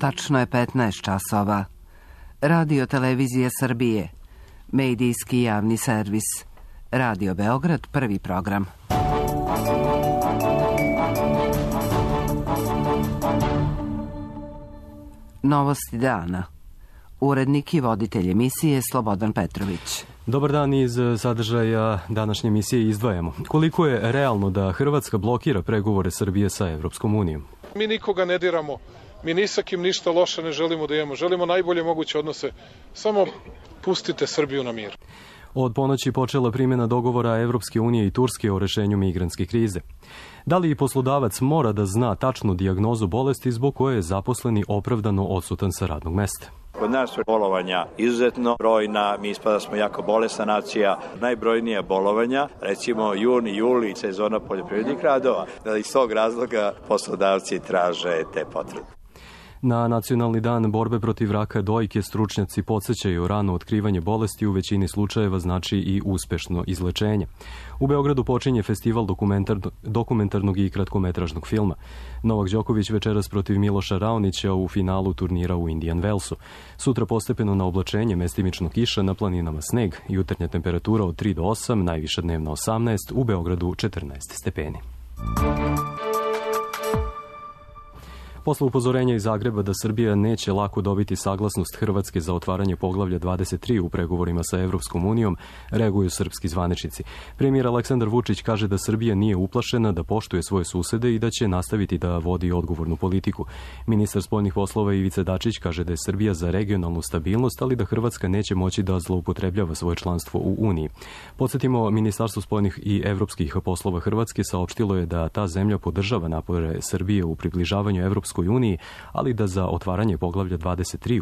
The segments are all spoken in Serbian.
Tačno je 15 časova. Radio Televizija Srbije. Medijski javni servis. Radio Beograd, prvi program. Novosti dana. Urednik i voditelj emisije Slobodan Petrović. Dobar dan, iz sadržaja današnje emisije izdvajamo. Koliko je realno da Hrvatska blokira pregovore Srbije sa Evropskom unijom? Mi nikoga ne diramo. Mi ni sa kim ništa loše ne želimo da imamo. Želimo najbolje moguće odnose. Samo pustite Srbiju na mir. Od ponoći počela primjena dogovora Evropske unije i Turske o rešenju migrantske krize. Da li i poslodavac mora da zna tačnu dijagnozu bolesti zbog koje je zaposleni opravdano odsutan sa radnog mesta? Kod nas su bolovanja izuzetno brojna, mi ispada smo jako bolesna nacija, najbrojnija bolovanja, recimo juni, juli, sezona poljoprivrednih radova, da iz tog razloga poslodavci traže te potrebe. Na Nacionalni dan borbe protiv raka dojke stručnjaci podsjećaju rano otkrivanje bolesti u većini slučajeva znači i uspešno izlečenje. U Beogradu počinje festival dokumentarnog i kratkometražnog filma. Novak Đoković večeras protiv Miloša Raonića u finalu turnira u Indian Wellsu. Sutra postepeno na oblačenje, mestimično kiša, na planinama sneg, jutarnja temperatura od 3 do 8, najviša dnevna 18, u Beogradu 14 stepeni. Posle upozorenja iz Zagreba da Srbija neće lako dobiti saglasnost Hrvatske za otvaranje poglavlja 23 u pregovorima sa Evropskom unijom, reaguju srpski zvaničnici. Premijer Aleksandar Vučić kaže da Srbija nije uplašena, da poštuje svoje susede i da će nastaviti da vodi odgovornu politiku. Ministar spoljnih poslova Ivica Dačić kaže da je Srbija za regionalnu stabilnost, ali da Hrvatska neće moći da zloupotrebljava svoje članstvo u Uniji. Podsjetimo, Ministarstvo spoljnih i evropskih poslova Hrvatske saopštilo je da ta zemlja podržava napore Srbije u približavanju Evropskoj uniji, ali da za otvaranje poglavlja 23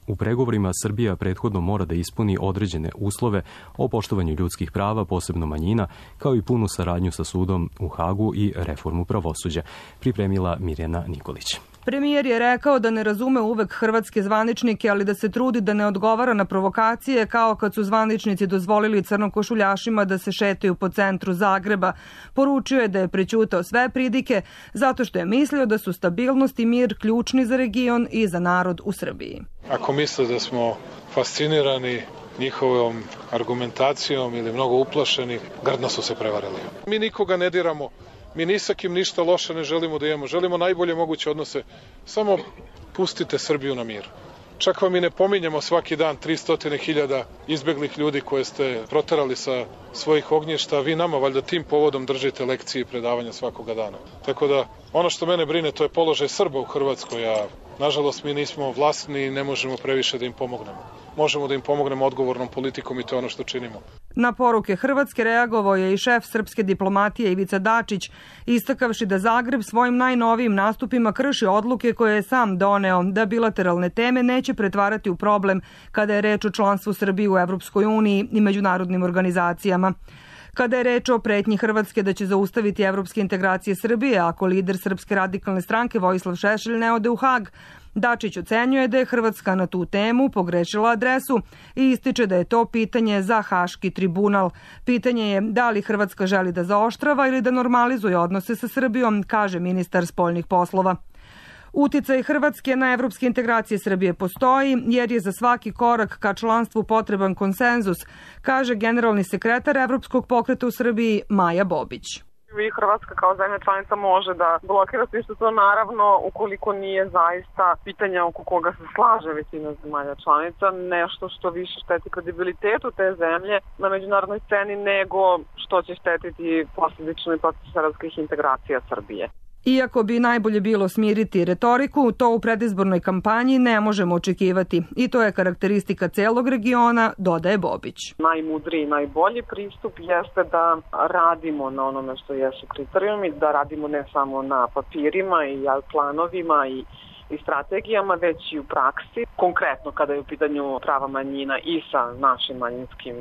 u pregovorima Srbija prethodno mora da ispuni određene uslove o poštovanju ljudskih prava, posebno manjina, kao i punu saradnju sa sudom u Hagu i reformu pravosuđa, pripremila Mirjana Nikolić. Premijer je rekao da ne razume uvek hrvatske zvaničnike, ali da se trudi da ne odgovara na provokacije, kao kad su zvaničnici dozvolili crnokošuljašima da se šetaju po centru Zagreba. Poručio je da je prećutao sve pridike zato što je mislio da su stabilnost i mir ključni za region i za narod u Srbiji. Ako misle da smo fascinirani njihovom argumentacijom ili mnogo uplašeni, grdno su se prevarili. Mi nikoga ne diramo. Mi ni sa kim ništa loše ne želimo da imamo. Želimo najbolje moguće odnose. Samo pustite Srbiju na mir. Čak vam i ne pominjemo svaki dan 300.000 izbeglih ljudi koje ste proterali sa svojih ognjišta. Vi nama valjda tim povodom držite lekcije i predavanja svakoga dana. Tako da ono što mene brine to je položaj Srba u Hrvatskoj, a nažalost mi nismo vlasni i ne možemo previše da im pomognemo. Možemo da im pomognemo odgovornom politikom i to je ono što činimo. Na poruke Hrvatske reagovao je i šef srpske diplomatije Ivica Dačić, istakavši da Zagreb svojim najnovijim nastupima krši odluke koje je sam doneo, da bilateralne teme neće pretvarati u problem kada je reč o članstvu Srbije u Evropskoj uniji i međunarodnim organizacijama. Kada je reč o pretnji Hrvatske da će zaustaviti evropske integracije Srbije ako lider Srpske radikalne stranke Vojislav Šešelj ne ode u Hag, Dačić ocenjuje da je Hrvatska na tu temu pogrešila adresu i ističe da je to pitanje za Haški tribunal. Pitanje je da li Hrvatska želi da zaoštrava ili da normalizuje odnose sa Srbijom, kaže ministar spoljnih poslova. Uticaj Hrvatske na evropske integracije Srbije postoji jer je za svaki korak ka članstvu potreban konsenzus, kaže generalni sekretar Evropskog pokreta u Srbiji Maja Bobić. I Hrvatska kao zemlja članica može da blokira sve što to naravno ukoliko nije zaista pitanja oko koga se slaže većina zemalja članica, nešto što više šteti kredibilitetu te zemlje na međunarodnoj sceni nego što će štetiti posljedično i proces evropskih integracija Srbije. Iako bi najbolje bilo smiriti retoriku, to u predizbornoj kampanji ne možemo očekivati i to je karakteristika celog regiona, dodaje Bobić. Najmudriji, najbolji pristup jeste da radimo na onome što jesu kriterijumi, da radimo ne samo na papirima i planovima i strategijama, već i u praksi. Konkretno kada je u pitanju prava manjina i sa našim manjinskim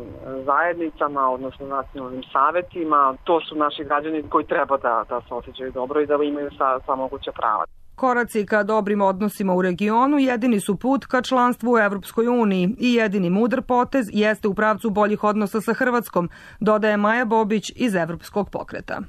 zajednicama, odnosno nacionalnim savetima, to su naši građani koji treba da se osjećaju dobro i da imaju sva moguća prava. Koraci ka dobrim odnosima u regionu jedini su put ka članstvu u Evropskoj uniji i jedini mudar potez jeste u pravcu boljih odnosa sa Hrvatskom, dodaje Maja Bobić iz Evropskog pokreta.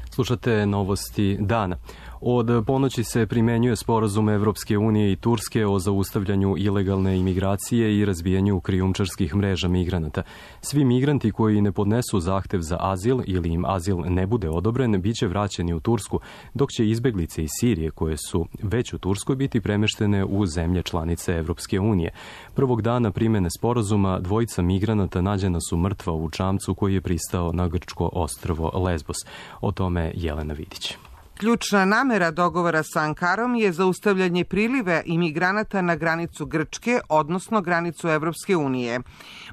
Slušate novosti dana. Od ponoći se primenjuje sporazum Evropske unije i Turske o zaustavljanju ilegalne imigracije i razbijanju krijumčarskih mreža migranata. Svi migranti koji ne podnesu zahtev za azil ili im azil ne bude odobren, bit će vraćeni u Tursku, dok će izbeglice iz Sirije koje su već u Turskoj biti premeštene u zemlje članice Evropske unije. Prvog dana primene sporazuma dvojica migranata nađena su mrtva u čamcu koji je pristao na grčko ostrvo Lesbos. O tome Jelena Vidić. Ključna namera dogovora sa Ankarom je zaustavljanje priliva imigranata na granicu Grčke, odnosno granicu Evropske unije.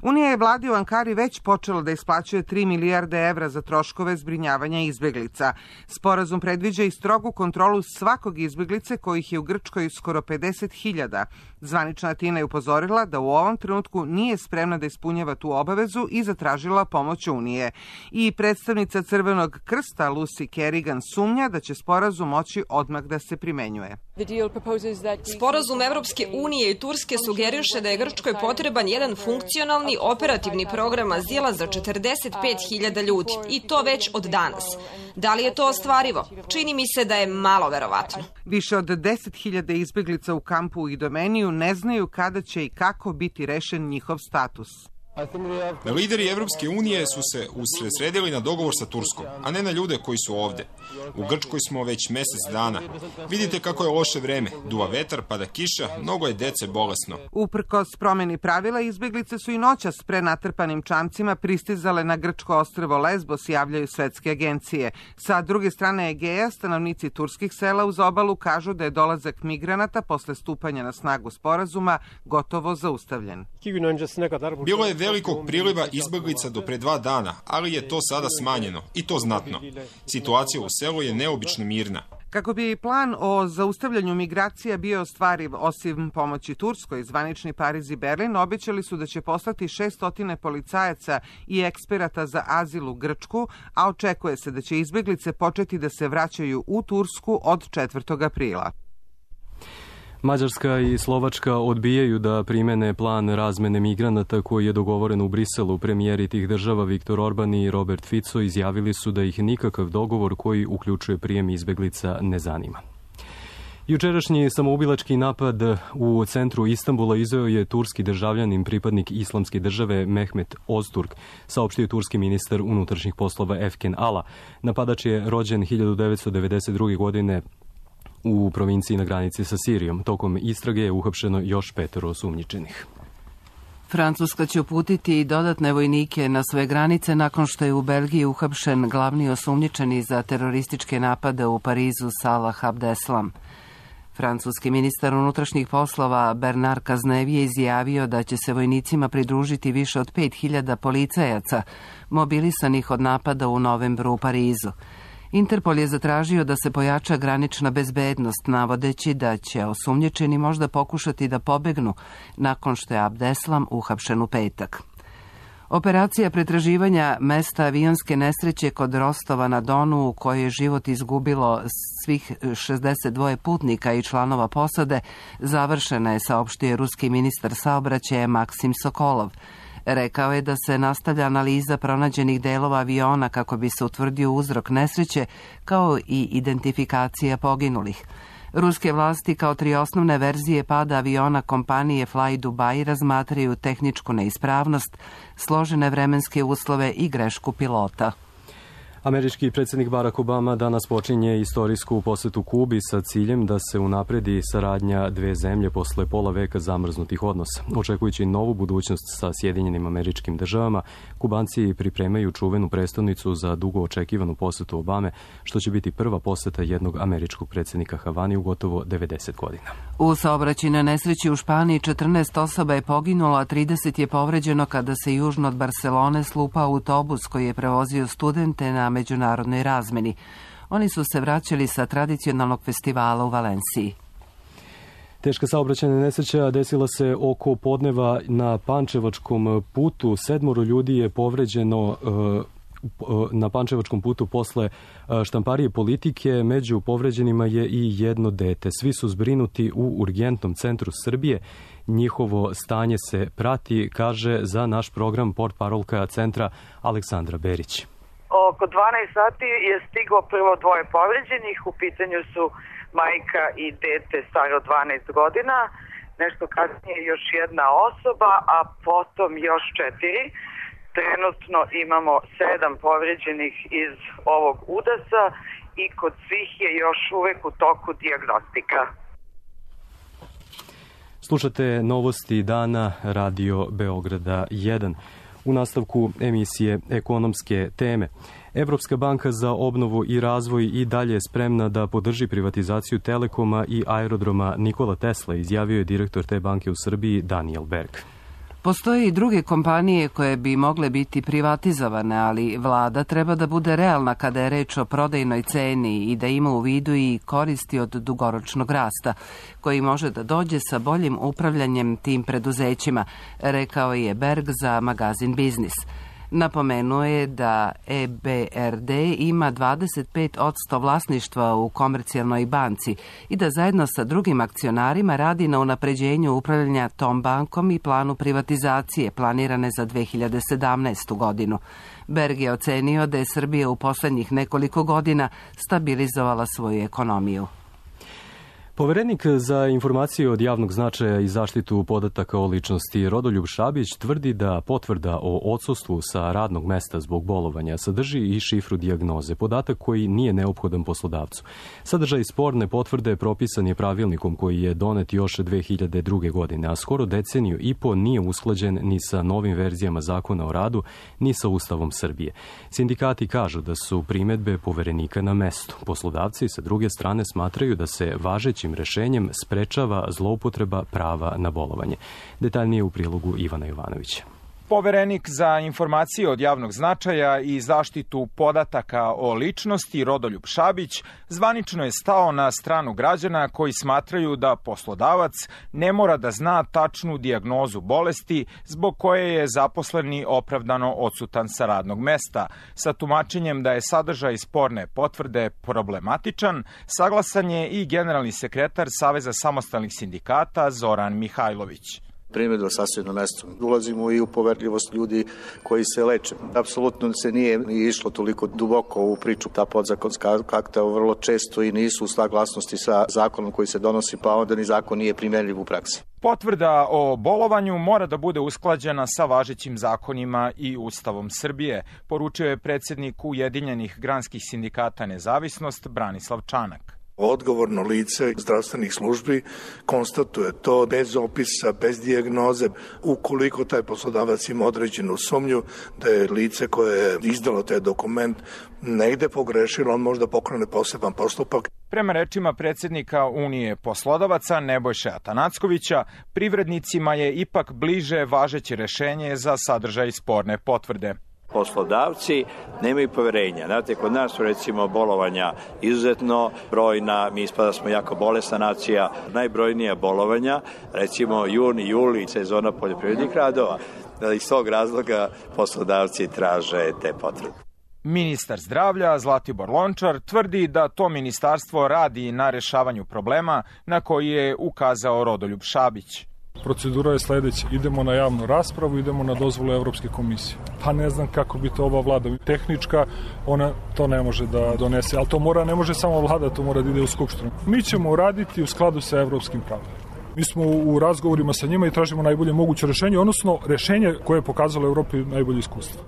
Unija je vladi u Ankari već počela da isplaćuje 3 milijarde evra za troškove zbrinjavanja izbeglica. Sporazum predviđa i strogu kontrolu svakog izbeglice kojih je u Grčkoj skoro 50.000. Zvanična Atina je upozorila da u ovom trenutku nije spremna da ispunjava tu obavezu i zatražila pomoć Unije. I predstavnica Crvenog krsta Lucy Kerrigan sumnja da će sporazum moći odmah da se primenjuje. Sporazum Evropske unije i Turske sugeriše da je Grčkoj potreban jedan funkcionalni operativni program azila za 45.000 ljudi i to već od danas. Da li je to ostvarivo? Čini mi se da je malo verovatno. Više od 10.000 izbeglica u kampu u Idomeniju ne znaju kada će i kako biti rešen njihov status. Lideri Evropske unije su se usredsredili na dogovor sa Turskom, a ne na ljude koji su ovde. U Grčkoj smo već mesec dana. Vidite kako je loše vreme. Duva vetar, pada kiša, mnogo je dece bolesno. Uprkos promeni pravila, izbeglice su i noćas prenatrpanim čamcima pristizale na grčko ostrvo Lesbos, javljaju svetske agencije. Sa druge strane Egeja, stanovnici turskih sela uz obalu kažu da je dolazak migranata posle stupanja na snagu sporazuma gotovo zaustavljen. Bilo je velikog priliva izbeglica do pre 2 dana, ali je to sada smanjeno, i to znatno. Situacija u selu je neobično mirna. Kako bi plan o zaustavljanju migracija bio ostvariv, osim pomoći Turskoj, zvanični Pariz i Berlin obećali su da će poslati 600 policajaca i eksperata za azil u Grčku, a očekuje se da će izbeglice početi da se vraćaju u Tursku od 4. aprila. Mađarska i Slovačka odbijaju da primene plan razmene migranata koji je dogovoren u Briselu. Premijeri tih država Viktor Orban i Robert Fico izjavili su da ih nikakav dogovor koji uključuje prijem izbeglica ne zanima. Jučerašnji samoubilački napad u centru Istanbula izveo je turski državljanin, pripadnik islamske države Mehmet Ozturk, saopštio turski ministar unutrašnjih poslova Efken Ala. Napadač je rođen 1992. godine u provinciji na granici sa Sirijom. Tokom istrage je uhapšeno još 5 osumnjičenih. Francuska će uputiti i dodatne vojnike na sve granice nakon što je u Belgiji uhapšen glavni osumnjičeni za terorističke napade u Parizu Salah Abdeslam. Francuski ministar unutrašnjih poslova Bernard Cazeneuve je izjavio da će se vojnicima pridružiti više od 5.000 policajaca mobilisanih od napada u novembru u Parizu. Interpol je zatražio da se pojača granična bezbednost, navodeći da će osumnjičeni možda pokušati da pobegnu nakon što je Abdeslam uhapšen u petak. Operacija pretraživanja mesta avionske nesreće kod Rostova na Donu, u kojoj je život izgubilo svih 62 putnika i članova posade, završena je, saopštio ruski ministar saobraćaja Maksim Sokolov. Rekao je da se nastavlja analiza pronađenih delova aviona kako bi se utvrdio uzrok nesreće, kao i identifikacija poginulih. Ruske vlasti kao 3 osnovne verzije pada aviona kompanije Fly Dubai razmatraju tehničku neispravnost, složene vremenske uslove i grešku pilota. Američki predsjednik Barack Obama danas počinje istorijsku posetu Kubi sa ciljem da se unapredi saradnja dve zemlje posle pola veka zamrznutih odnosa. Očekujući novu budućnost sa Sjedinjenim Američkim Državama, Kubanci pripremaju čuvenu prestonicu za dugo očekivanu posetu Obame, što će biti prva poseta jednog američkog predsjednika Havani u gotovo 90 godina. U saobraćajnoj nesreći u Španiji 14 osoba je poginulo, a 30 je povređeno kada se južno od Barcelone slupao autobus koji je prevozio studente na međunarodnoj razmeni. Oni su se vraćali sa tradicionalnog festivala u Valenciji. Teška saobraćajna nesreća desila se oko podneva na Pančevačkom putu. 7 ljudi je povređeno na Pančevačkom putu posle štamparije Politike. Među povređenima je i jedno dete. Svi su zbrinuti u urgentnom centru Srbije. Njihovo stanje se prati, kaže za naš program portparolka centra Aleksandra Berić. oko 12 sati je stiglo prvo dvoje povređenih, u pitanju su majka i dete staro 12 godina, nešto kasnije još jedna osoba, a potom još 4. Trenutno imamo 7 povređenih iz ovog udesa i kod svih je još uvek u toku dijagnostika. Slušate novosti dana Radio Beograda 1. U nastavku emisije Ekonomske teme. Evropska banka za obnovu i razvoj i dalje je spremna da podrži privatizaciju Telekoma i aerodroma Nikola Tesla, izjavio je direktor te banke u Srbiji Daniel Berg. Postoje i druge kompanije koje bi mogle biti privatizovane, ali vlada treba da bude realna kada je reč o prodajnoj ceni i da ima u vidu i koristi od dugoročnog rasta, koji može da dođe sa boljim upravljanjem tim preduzećima, rekao je Berg za magazin Biznis. Napomenuo je da EBRD ima 25% vlasništva u Komercijalnoj banci i da zajedno sa drugim akcionarima radi na unapređenju upravljanja tom bankom i planu privatizacije planirane za 2017. godinu. Berg je ocenio da je Srbija u poslednjih nekoliko godina stabilizovala svoju ekonomiju. Poverenik za informacije od javnog značaja i zaštitu podataka o ličnosti Rodoljub Šabić tvrdi da potvrda o odsustvu sa radnog mesta zbog bolovanja sadrži i šifru dijagnoze, podatak koji nije neophodan poslodavcu. Sadržaj sporne potvrde propisan je pravilnikom koji je donet još 2002. godine, a skoro deceniju i po nije usklađen ni sa novim verzijama zakona o radu, ni sa Ustavom Srbije. Sindikati kažu da su primedbe Poverenika na mestu. Poslodavci sa druge strane smatraju da se važeći rešenjem sprečava zloupotreba prava na bolovanje. Detaljnije u prilogu Ivana Jovanovića. Poverenik za informacije od javnog značaja i zaštitu podataka o ličnosti Rodoljub Šabić zvanično je stao na stranu građana koji smatraju da poslodavac ne mora da zna tačnu dijagnozu bolesti zbog koje je zaposleni opravdano odsutan sa radnog mesta. Sa tumačenjem da je sadržaj sporne potvrde problematičan, saglasan je i generalni sekretar Saveza samostalnih sindikata Zoran Mihajlović. Primjedba sasvim na mestu. Ulazimo i u poverljivost ljudi koji se leče. Apsolutno se nije išlo toliko duboko u priču. Ta podzakonska akta vrlo često i nisu u saglasnosti sa zakonom koji se donosi, pa onda ni zakon nije primenljiv u praksi. Potvrda o bolovanju mora da bude usklađena sa važećim zakonima i Ustavom Srbije, poručio je predsjednik Ujedinjenih granskih sindikata Nezavisnost Branislav Čanak. Odgovorno lice zdravstvenih službi konstatuje to bez opisa, bez dijagnoze. Ukoliko taj poslodavac ima određenu sumnju da je lice koje je izdalo taj dokument negde pogrešilo, on može da pokrene poseban postupak. Prema rečima predsjednika Unije poslodavaca Nebojše Atanackovića, privrednicima je ipak bliže važeće rešenje za sadržaj sporne potvrde. Poslodavci nemaju poverenja. Znate, kod nas su recimo bolovanja izuzetno brojna, mi ispada smo jako bolesna nacija, najbrojnija bolovanja, recimo jun i juli, sezona poljoprivrednih radova, iz tog razloga poslodavci traže te potvrde. Ministar zdravlja Zlatibor Lončar tvrdi da to ministarstvo radi na rešavanju problema na koji je ukazao Rodoljub Šabić. Procedura je sledeća. Idemo na javnu raspravu, idemo na dozvolu Evropske komisije. Pa ne znam kako bi to ova vlada tehnička, ona to ne može da donese, ali to ne može samo vlada, to mora da ide u skupštinu. Mi ćemo uraditi u skladu sa evropskim pravom. Mi smo u razgovorima sa njima i tražimo najbolje moguće rešenje, odnosno rešenje koje je pokazalo Evropi najbolje iskustvo.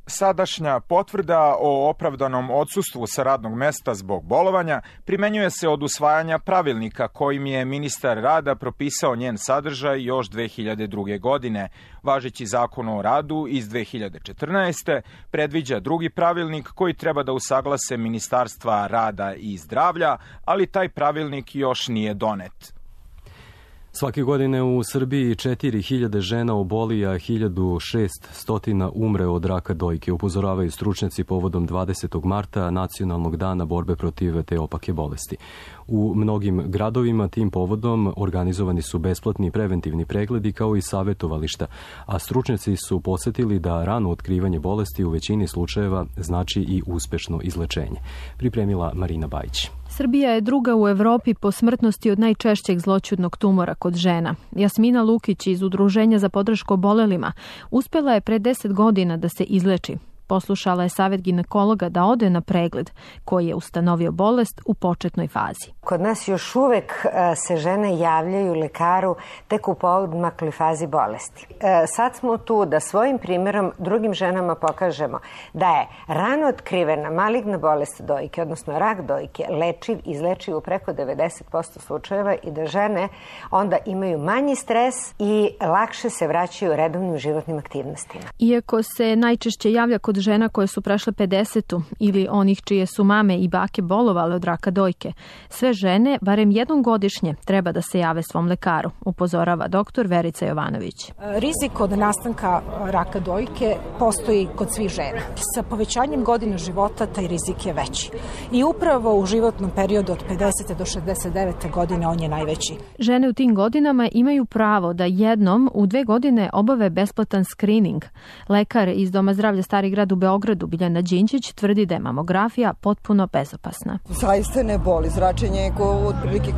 Sadašnja potvrda o opravdanom odsustvu sa radnog mesta zbog bolovanja primenjuje se od usvajanja pravilnika kojim je ministar rada propisao njen sadržaj još 2002. godine. Važeći zakon o radu iz 2014. predviđa drugi pravilnik koji treba da usaglase Ministarstva rada i zdravlja, ali taj pravilnik još nije donet. Svake godine u Srbiji 4000 žena oboli, a 1600 umre od raka dojke, upozoravaju stručnjaci povodom 20. marta, nacionalnog dana borbe protiv te opake bolesti. U mnogim gradovima tim povodom organizovani su besplatni preventivni pregledi kao i savjetovališta, a stručnjaci su podsjetili da rano otkrivanje bolesti u većini slučajeva znači i uspešno izlečenje. Pripremila Marina Bajić. Srbija je druga u Evropi po smrtnosti od najčešćeg zloćudnog tumora kod žena. Jasmina Lukić iz Udruženja za podršku obolelima uspela je pre 10 godina da se izleči. Poslušala je savjet ginekologa da ode na pregled koji je ustanovio bolest u početnoj fazi. Kod nas još uvek se žene javljaju lekaru tek u poodmakloj fazi bolesti. Sad smo tu da svojim primjerom drugim ženama pokažemo da je rano otkrivena maligna bolest dojke, odnosno rak dojke, lečiv, izlečiv u preko 90% slučajeva i da žene onda imaju manji stres i lakše se vraćaju redovnim životnim aktivnostima. Iako se najčešće javlja kod žena koje su prešle 50 ili onih čije su mame i bake bolovale od raka dojke, sve žene, barem jednom godišnje, treba da se jave svom lekaru, upozorava doktor Verica Jovanović. Rizik od nastanka raka dojke postoji kod svih žena. Sa povećanjem godina života taj rizik je veći. I upravo u životnom periodu od 50. do 69. godine on je najveći. Žene u tim godinama imaju pravo da jednom u 2 godine obave besplatan screening. Lekar iz Doma zdravlja Stari grad u Beogradu, Biljana Đinđić, tvrdi da je mamografija potpuno bezopasna. Zaista ne boli. Zračenje je otprilike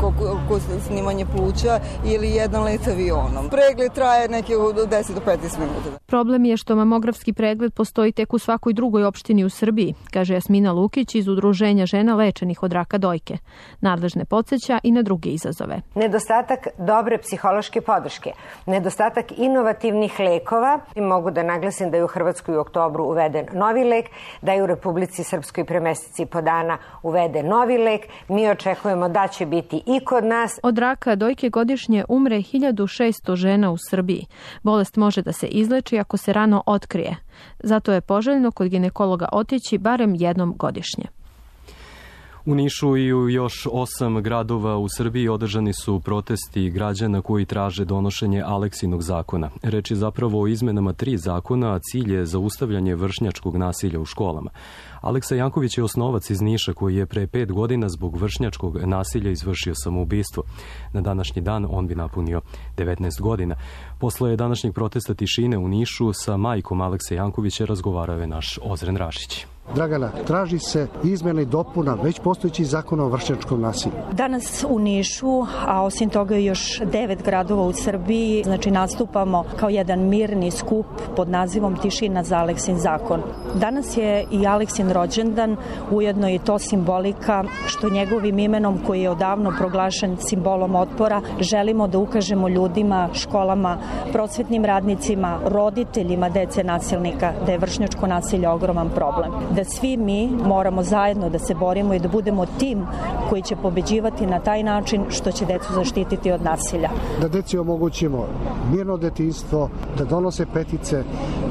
ko snimanje pluća ili jedan let avionom. Pregled traje neke od 10 do 15 minuta. Problem je što mamografski pregled postoji tek u svakoj drugoj opštini u Srbiji, kaže Jasmina Lukić iz Udruženja žena lečenih od raka dojke. Nadležne podsjeća i na druge izazove. Nedostatak dobre psihološke podrške, nedostatak inovativnih lekova. I mogu da naglasim da je u Hrvatskoj u oktobru uveden novi lek, da je u Republici Srpskoj pre meseci i po dana uveden novi lek. Mi očekujemo da će biti i kod nas. Od raka dojke godišnje umre 1600 žena u Srbiji. Bolest može da se izleči ako se rano otkrije. Zato je poželjno kod ginekologa otići barem jednom godišnje. U Nišu i u još 8 gradova u Srbiji održani su protesti građana koji traže donošenje Aleksinog zakona. Reč je zapravo o izmenama 3 zakona, a cilj je zaustavljanje vršnjačkog nasilja u školama. Aleksa Janković je osnovac iz Niša koji je pre 5 godina zbog vršnjačkog nasilja izvršio samoubistvo. Na današnji dan on bi napunio 19 godina. Posle današnjeg protesta tišine u Nišu sa majkom Aleksa Jankovića razgovarao je naš Ozren Rašić. Dragana, traži se izmjena i dopuna već postojećih zakona o vršnjačkom nasilju. Danas u Nišu, a osim toga još 9 gradova u Srbiji, znači nastupamo kao jedan mirni skup pod nazivom Tišina za Aleksin zakon. Danas je i Aleksin rođendan, ujedno i to simbolika što njegovim imenom koji je odavno proglašen simbolom otpora, želimo da ukažemo ljudima, školama, prosvetnim radnicima, roditeljima dece nasilnika da je vršnjačko nasilje ogroman problem. Da svi mi moramo zajedno da se borimo i da budemo tim koji će pobeđivati na taj način što će decu zaštititi od nasilja. Da deci omogućimo mirno detinjstvo, da donose petice,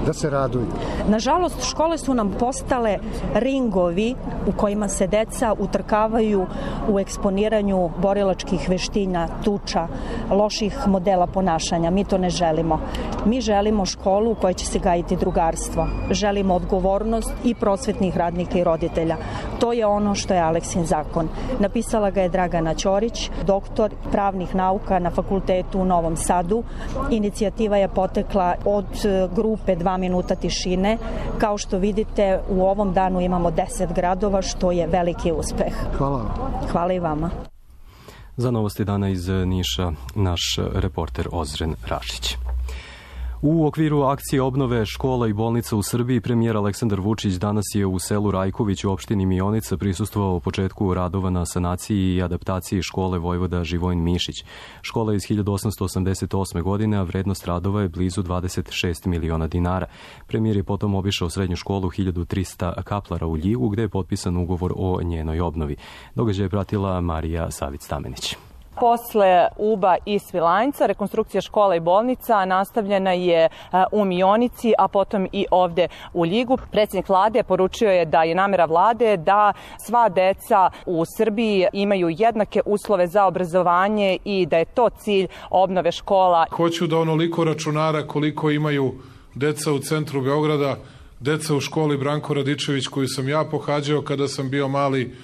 da se raduju. Nažalost, škole su nam postale ringovi u kojima se deca utrkavaju u eksponiranju borilačkih veština, tuča, loših modela ponašanja. Mi to ne želimo. Mi želimo školu u kojoj će se gajiti drugarstvo. Želimo odgovornost i prosvetnih radnika i roditelja. To je ono što je Aleksin zakon. Napisala ga je Dragana Ćorić, doktor pravnih nauka na fakultetu u Novom Sadu. Inicijativa je potekla od grupe 2 minuta tišine. Kao što vidite, u ovom danu imamo 10 gradova, što je veliki uspeh. Hvala. Hvala i vama. Za novosti dana iz Niša, naš reporter Ozren Rašić. U okviru akcije obnove škola i bolnica u Srbiji, premijer Aleksandar Vučić danas je u selu Rajković u opštini Mionica prisustvovao početku radova na sanaciji i adaptaciji škole Vojvoda Živojin Mišić. Škola je iz 1888. godine, a vrednost radova je blizu 26 miliona dinara. Premijer je potom obišao srednju školu 1300 Kaplara u Ljigu, gde je potpisan ugovor o njenoj obnovi. Događaj je pratila Marija Savić-Stamenić. Posle Uba i Svilajnca, rekonstrukcija škola i bolnica nastavljena je u Mionici, a potom i ovde u Ljigu. Predsjednik vlade poručio je da je namera vlade da sva deca u Srbiji imaju jednake uslove za obrazovanje i da je to cilj obnove škola. Hoću da onoliko računara koliko imaju deca u centru Beograda, deca u školi Branko Radičević koju sam ja pohađao kada sam bio mali,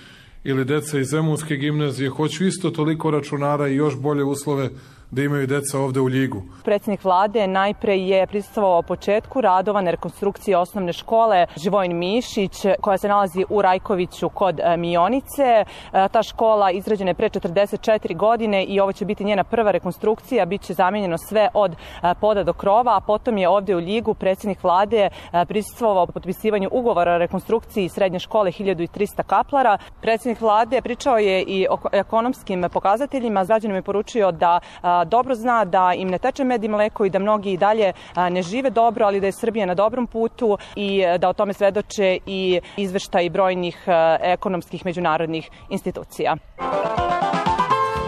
ili deca iz Zemunske gimnazije, hoću isto toliko računara i još bolje uslove da imaju deca ovde u Ljigu. Predsjednik vlade najpre je prisustvovao početku radova na rekonstrukciji osnovne škole Živojin Mišić, koja se nalazi u Rajkoviću kod Mionice. Ta škola izgrađena je pre 44 godine i ovo će biti njena prva rekonstrukcija. Biće zamijenjeno sve od poda do krova, a potom je ovde u Ljigu predsjednik vlade prisustvovao potpisivanju ugovora o rekonstrukciji srednje škole 1300 kaplara. Predsjednik vlade pričao je i o ekonomskim pokazateljima. Građanima je poručio da dobro zna da im ne teče med i mleko i da mnogi i dalje ne žive dobro, ali da je Srbija na dobrom putu i da o tome svedoče i izveštaji brojnih ekonomskih međunarodnih institucija.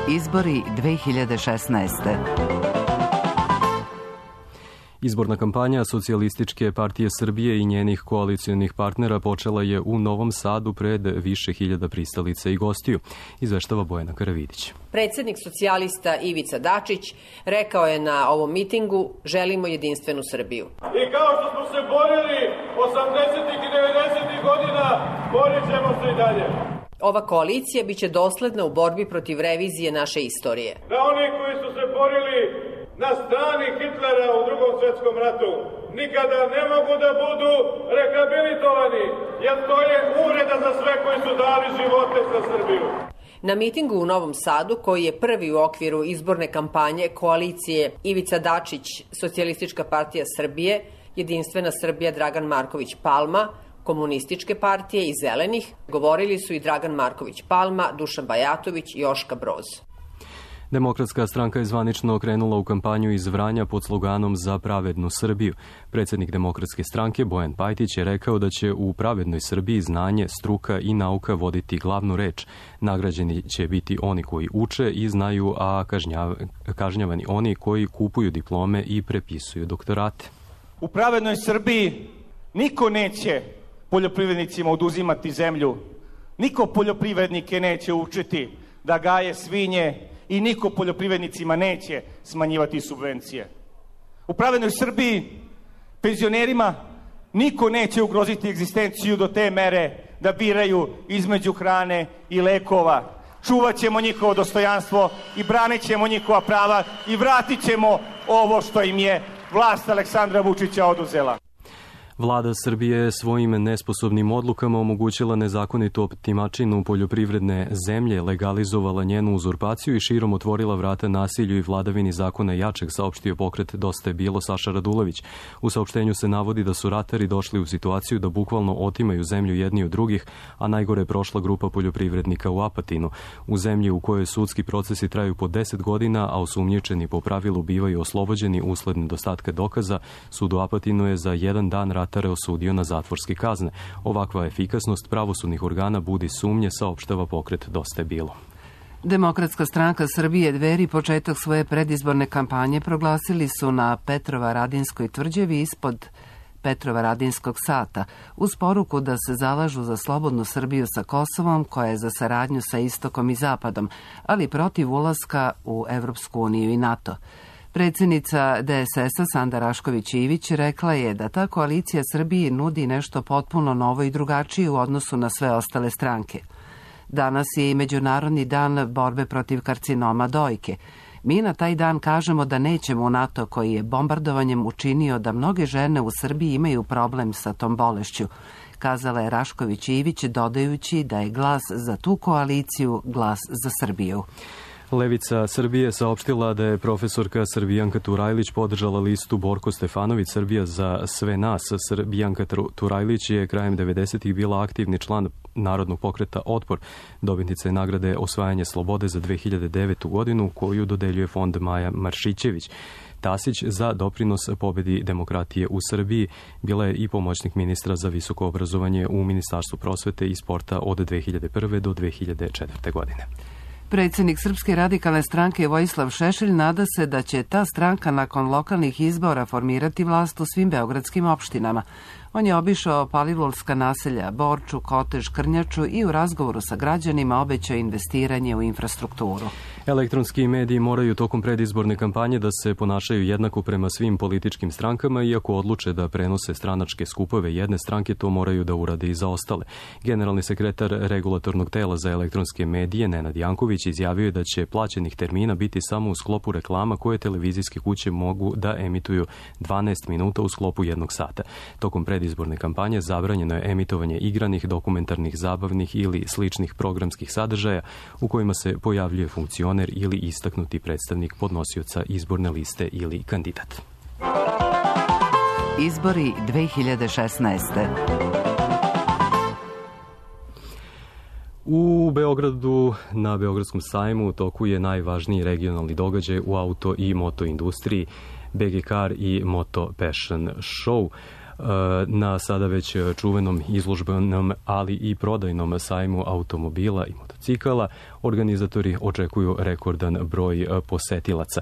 Izbori 2016. Izborna kampanja Socijalističke partije Srbije i njenih koalicijonih partnera počela je u Novom Sadu pred više hiljada pristalica i gostiju, izveštava Bojana Karavidić. Predsjednik socijalista Ivica Dačić rekao je na ovom mitingu: želimo jedinstvenu Srbiju. I kao što smo se borili 80. i 90. godina, borit ćemo se i dalje. Ova koalicija biće dosledna u borbi protiv revizije naše istorije. Da oni koji su se borili na strani Hitlera u Drugom svjetskom ratu nikada ne mogu da budu rehabilitovani, jer to je uvreda za sve koji su dali živote za Srbiju. Na mitingu u Novom Sadu, koji je prvi u okviru izborne kampanje koalicije Ivica Dačić, Socijalistička partija Srbije, Jedinstvena Srbija Dragan Marković Palma, Komunističke partije i Zelenih, govorili su i Dragan Marković Palma, Dušan Bajatović i Joška Broz. Demokratska stranka je zvanično krenula u kampanju iz Vranja pod sloganom Za pravednu Srbiju. Predsjednik Demokratske stranke Bojan Pajtić je rekao da će u pravednoj Srbiji znanje, struka i nauka voditi glavnu reč. Nagrađeni će biti oni koji uče i znaju, a kažnjavani oni koji kupuju diplome i prepisuju doktorate. U pravednoj Srbiji niko neće poljoprivrednicima oduzimati zemlju, niko poljoprivrednike neće učiti da gaje svinje i niko poljoprivrednicima neće smanjivati subvencije. U pravednoj Srbiji penzionerima niko neće ugroziti egzistenciju do te mere da biraju između hrane i lekova. Čuvat ćemo njihovo dostojanstvo i branit ćemo njihova prava i vratit ćemo ovo što im je vlast Aleksandra Vučića oduzela. Vlada Srbije je svojim nesposobnim odlukama omogućila nezakonitu otimačinu poljoprivredne zemlje, legalizovala njenu uzurpaciju i širom otvorila vrata nasilju i vladavini zakona jačeg, saopštio pokret Dosta je bilo Saša Radulović. U saopštenju se navodi da su ratari došli u situaciju da bukvalno otimaju zemlju jedni od drugih, a najgore je prošla grupa poljoprivrednika u Apatinu. U zemlji u kojoj sudski procesi traju po 10 godina, a osumnjičeni po pravilu bivaju oslobođeni usled nedostatka dokaza, sud u Apatinu je za jedan dan ratare osudio na zatvorske kazne. Ovakva efikasnost pravosudnih organa budi sumnje, saopštava pokret Dosta je bilo. Demokratska stranka Srbije Dveri početak svoje predizborne kampanje proglasili su na Petrovaradinskoj tvrđavi ispod Petrovaradinskog sata, uz poruku da se zalažu za slobodnu Srbiju sa Kosovom, koja je za saradnju sa Istokom i Zapadom, ali protiv ulaska u Evropsku uniju i NATO. Predsjednica DSS-a Sanda Rašković-Ivić rekla je da ta koalicija Srbiji nudi nešto potpuno novo i drugačije u odnosu na sve ostale stranke. Danas je i Međunarodni dan borbe protiv karcinoma dojke. Mi na taj dan kažemo da nećemo u NATO, koji je bombardovanjem učinio da mnoge žene u Srbiji imaju problem sa tom bolešću, kazala je Rašković-Ivić, dodajući da je glas za tu koaliciju glas za Srbiju. Levica Srbije saopštila da je profesorka Srbijanka Turajlić podržala listu Borko Stefanović Srbija za sve nas. Srbijanka Turajlić je krajem 90-ih bila aktivni član Narodnog pokreta Otpor. Dobitnica je nagrade Osvajanje slobode za 2009. godinu, koju dodeljuje fond Maja Maršićević. Tasić za doprinos pobedi demokratije u Srbiji bila je i pomoćnik ministra za visoko obrazovanje u Ministarstvu prosvete i sporta od 2001. do 2004. godine. Predsjednik Srpske radikalne stranke Vojislav Šešelj nada se da će ta stranka nakon lokalnih izbora formirati vlast u svim beogradskim opštinama. On je obišao palilulska naselja Borču, Kotež, Krnjaču i u razgovoru sa građanima obećao investiranje u infrastrukturu. Elektronski mediji moraju tokom predizborne kampanje da se ponašaju jednako prema svim političkim strankama, iako odluče da prenose stranačke skupove jedne stranke, to moraju da urade i za ostale. Generalni sekretar Regulatornog tela za elektronske medije, Nenad Janković, izjavio je da će plaćenih termina biti samo u sklopu reklama koje televizijske kuće mogu da emituju 12 minuta u sklopu 1 sata. Tokom predizborne kampanje zabranjeno je emitovanje igranih, dokumentarnih, zabavnih ili sličnih programskih sadržaja u kojima se pojavljuje funkcioner ili istaknuti predstavnik podnosioca izborne liste ili kandidat. Izbori 2016. U Beogradu, na Beogradskom sajmu, u toku je najvažniji regionalni događaj u auto i moto industriji, BG Car i Moto Passion Show. Na sada već čuvenom izložbenom, ali i prodajnom sajmu automobila i motocikala organizatori očekuju rekordan broj posetilaca.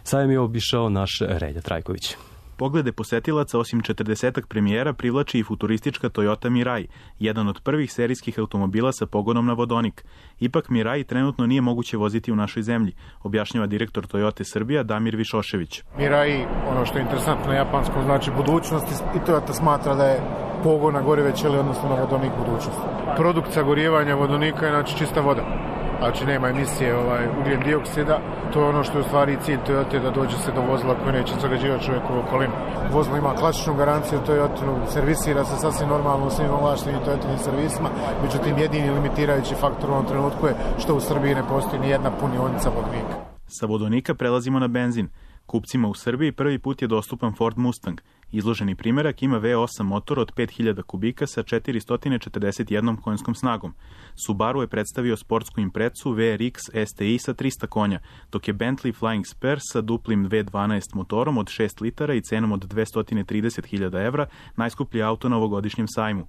Sajam je obišao naš Relja Trajković. Poglede posetilaca osim 40-ak premijera privlači i futuristička Toyota Mirai, jedan od prvih serijskih automobila sa pogonom na vodonik. Ipak Mirai trenutno nije moguće voziti u našoj zemlji, objašnjava direktor Toyota Srbija Damir Višošević. Mirai, ono što je interesantno na japanskom, znači budućnost i Toyota smatra da je pogon na gorive ćelije, odnosno na vodonik budućnost. Produkt sagorijevanja vodonika je znači čista voda. Znači nema emisije ugljen dioksida, to je ono što je u stvari cilj Toyota, da dođe se do vozila koje neće zagađivati čovjekovu okolinu. Vozilo ima klasičnu garanciju Toyota, servisira se sasvim normalno u svim ovlaštenim Toyotinim servisima, međutim jedini limitirajući faktor u ovom trenutku je što u Srbiji ne postoji ni jedna punionica vodonika. Sa vodonika prelazimo na benzin. Kupcima u Srbiji prvi put je dostupan Ford Mustang. Izloženi primerak ima V8 motor od 5000 kubika sa 441 konjskom snagom. Subaru je predstavio sportsku Imprezu VRX STI sa 300 konja, dok je Bentley Flying Spur sa duplim V12 motorom od 6 litara i cenom od 230.000 evra najskuplji auto na ovogodišnjem sajmu.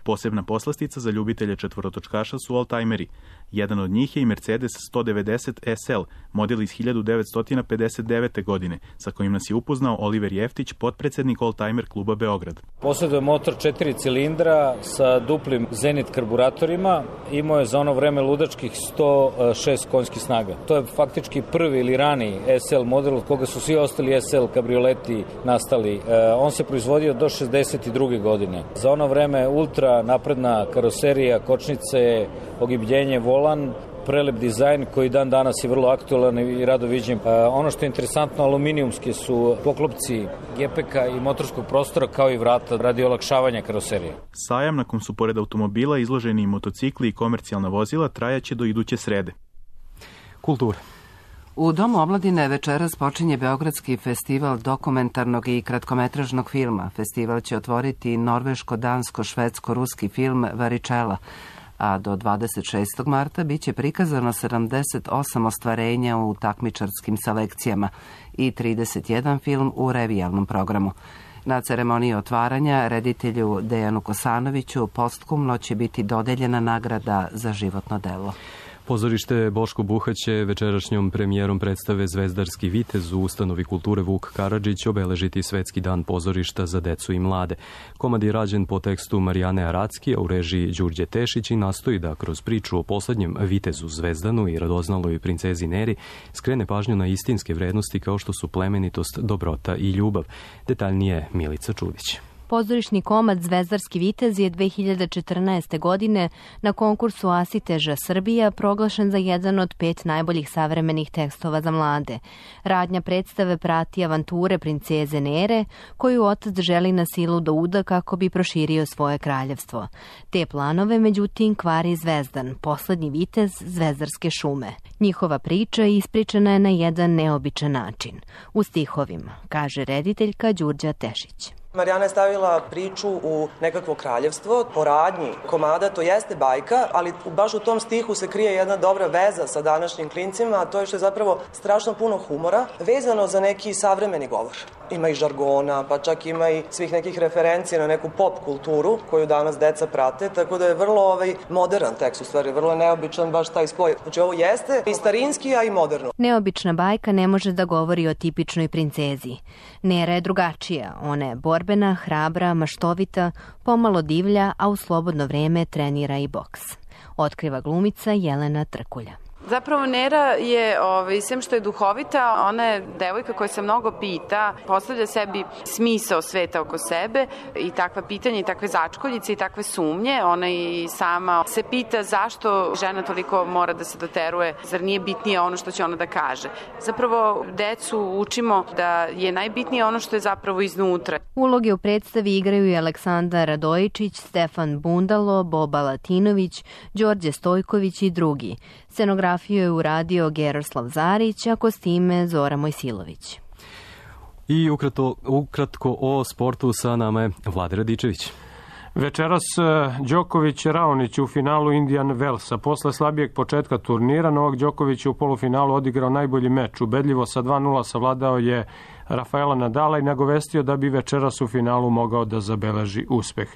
Posebna poslastica za ljubitelje četvorotočkaša su oldtimeri. Jedan od njih je i Mercedes 190 SL, model iz 1959. godine, sa kojim nas je upoznao Oliver Jeftić, potpredsednik Oldtimer kluba Beograd. Posjeduje motor 4 cilindra sa duplim Zenit karburatorima, imao je za ono vreme ludačkih 106 konjskih snaga. To je faktički prvi ili rani SL model od koga su svi ostali SL kabrioleti nastali. On se proizvodio do 62. godine. Za ono vreme ultra napredna karoserija, kočnice, ogibljenje, volan, prelep dizajn koji dan danas je vrlo aktualan i rado viđen. Ono što je interesantno, aluminijumski su poklopci gepeka i motorskog prostora kao i vrata radi olakšavanja karoserije. Sajam, na kom su pored automobila izloženi i motocikli i komercijalna vozila, trajaće do iduće srede. Kultura. U Domu omladine večeras počinje Beogradski festival dokumentarnog i kratkometražnog filma. Festival će otvoriti norveško-dansko-švedsko-ruski film Varičela, a do 26. marta biće prikazano 78 ostvarenja u takmičarskim selekcijama i 31 film u revijalnom programu. Na ceremoniji otvaranja reditelju Dejanu Kosanoviću postkumno će biti dodeljena nagrada za životno delo. Pozorište Boško Buha će večerašnjom premijerom predstave Zvezdarski vitez u ustanovi kulture Vuk Karadžić obeležiti Svetski dan pozorišta za decu i mlade. Komad je rađen po tekstu Marijane Aracki, a u režiji Đurđe Tešić i nastoji da kroz priču o poslednjem vitezu Zvezdanu i radoznaloj princezi Neri skrene pažnju na istinske vrednosti kao što su plemenitost, dobrota i ljubav. Detaljnije Milica Čudić. Pozorišni komad Zvezdarski vitez je 2014. godine na konkursu Asiteža Srbija proglašen za jedan od 5 najboljih savremenih tekstova za mlade. Radnja predstave prati avanture princeze Nere, koju otac želi na silu da uda kako bi proširio svoje kraljevstvo. Te planove, međutim, kvari Zvezdan, poslednji vitez Zvezdarske šume. Njihova priča ispričana je na jedan neobičan način. U stihovima, kaže rediteljka Đurđa Tešić. Marijana je stavila priču u nekakvo kraljevstvo, po radnji komada, to jeste bajka, ali baš u tom stihu se krije jedna dobra veza sa današnjim klincima, a to je što je zapravo strašno puno humora, vezano za neki savremeni govor. Ima i žargona, pa čak ima i svih nekih referencija na neku pop kulturu koju danas deca prate, tako da je vrlo modern tekst, u stvari, vrlo neobičan baš taj spoj. Znači ovo jeste i starinski, a i moderno. Neobična bajka ne može da govori o tipičnoj princezi. Nera je drugačija, ona je borbena, hrabra, maštovita, pomalo divlja, a u slobodno vreme trenira i boks. Otkriva glumica Jelena Trkulja. Zapravo Nera je, sem što je duhovita, ona je devojka koja se mnogo pita, postavlja sebi smisao sveta oko sebe i takva pitanja i takve začkoljice i takve sumnje. Ona i sama se pita zašto žena toliko mora da se doteruje, zar nije bitnije ono što će ona da kaže. Zapravo decu učimo da je najbitnije ono što je zapravo iznutra. Uloge u predstavi igraju i Aleksandar Radojičić, Stefan Bundalo, Boba Latinović, Đorđe Stojković i drugi. Scenografiju je uradio Geroslav Zarić, a kostime Zora Mojsilović. I ukratko o sportu, sa nama je Vlade Radičević. Večeras Đoković Raonić u finalu Indian Wellsa. Posle slabijeg početka turnira, Novak Đoković u polufinalu odigrao najbolji meč. Ubedljivo sa 2:0 savladao je Rafaela Nadala i nagovestio da bi večeras u finalu mogao da zabeleži uspeh.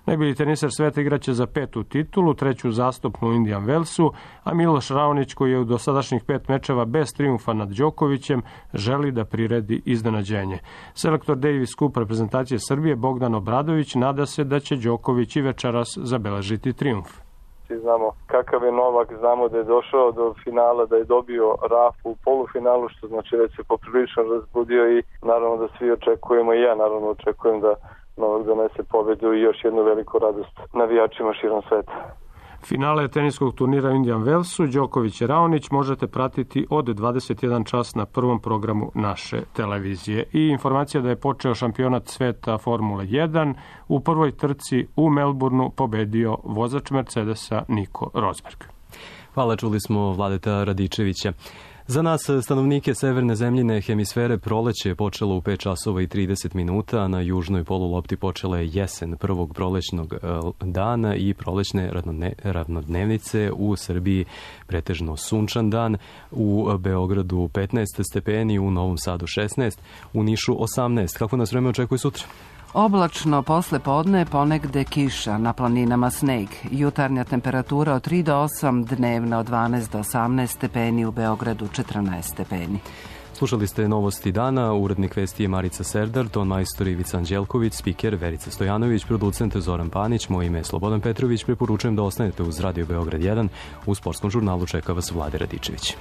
Najbolji teniser sveta igraće za 5. titulu, 3. zastupnu u Indian Wellsu, a Miloš Raonić, koji je u dosadašnjih 5 mečeva bez trijumfa nad Đokovićem, želi da priredi iznenađenje. Selektor Davis Cup reprezentacije Srbije Bogdan Obradović nada se da će Đoković i večeras zabeležiti trijumf. Znamo kakav je Novak, znamo da je došao do finala, da je dobio Rafu u polufinalu, što znači već se poprilično razbudio i naravno da svi očekujemo, i ja naravno očekujem da Novak donese pobedu i još jednu veliku radost navijačima širom sveta. Finale teniskog turnira u Indian Wellsu, Đoković i Raonić možete pratiti od 21 čas na prvom programu naše televizije. I informacija da je počeo šampionat sveta Formule 1, u prvoj trci u Melbourneu pobedio vozač Mercedesa Nico Rosberg. Hvala, čuli smo Vladeta Radičevića. Za nas, stanovnike severne zemljine hemisfere, proleće je počelo u 5 časova i 30 minuta, a na južnoj polulopti počela je jesen prvog prolećnog dana i prolećne ravnodnevnice. U Srbiji pretežno sunčan dan, u Beogradu 15 stepeni, u Novom Sadu 16, u Nišu 18. Kako nas vreme očekuje sutra? Oblačno posle podne, ponegde kiša, na planinama sneg. Jutarnja temperatura od 3 do 8, dnevna od 12 do 18 stepeni, u Beogradu 14 stepeni. Slušali ste novosti dana, urednik vesti je Marica Serdar, ton majstor Ivica Anđelković, spiker Verica Stojanović, producent Zoran Panić, moje ime je Slobodan Petrović. Preporučujem da ostanete uz Radio Beograd 1, u sportskom žurnalu čeka vas Vlade Radičević.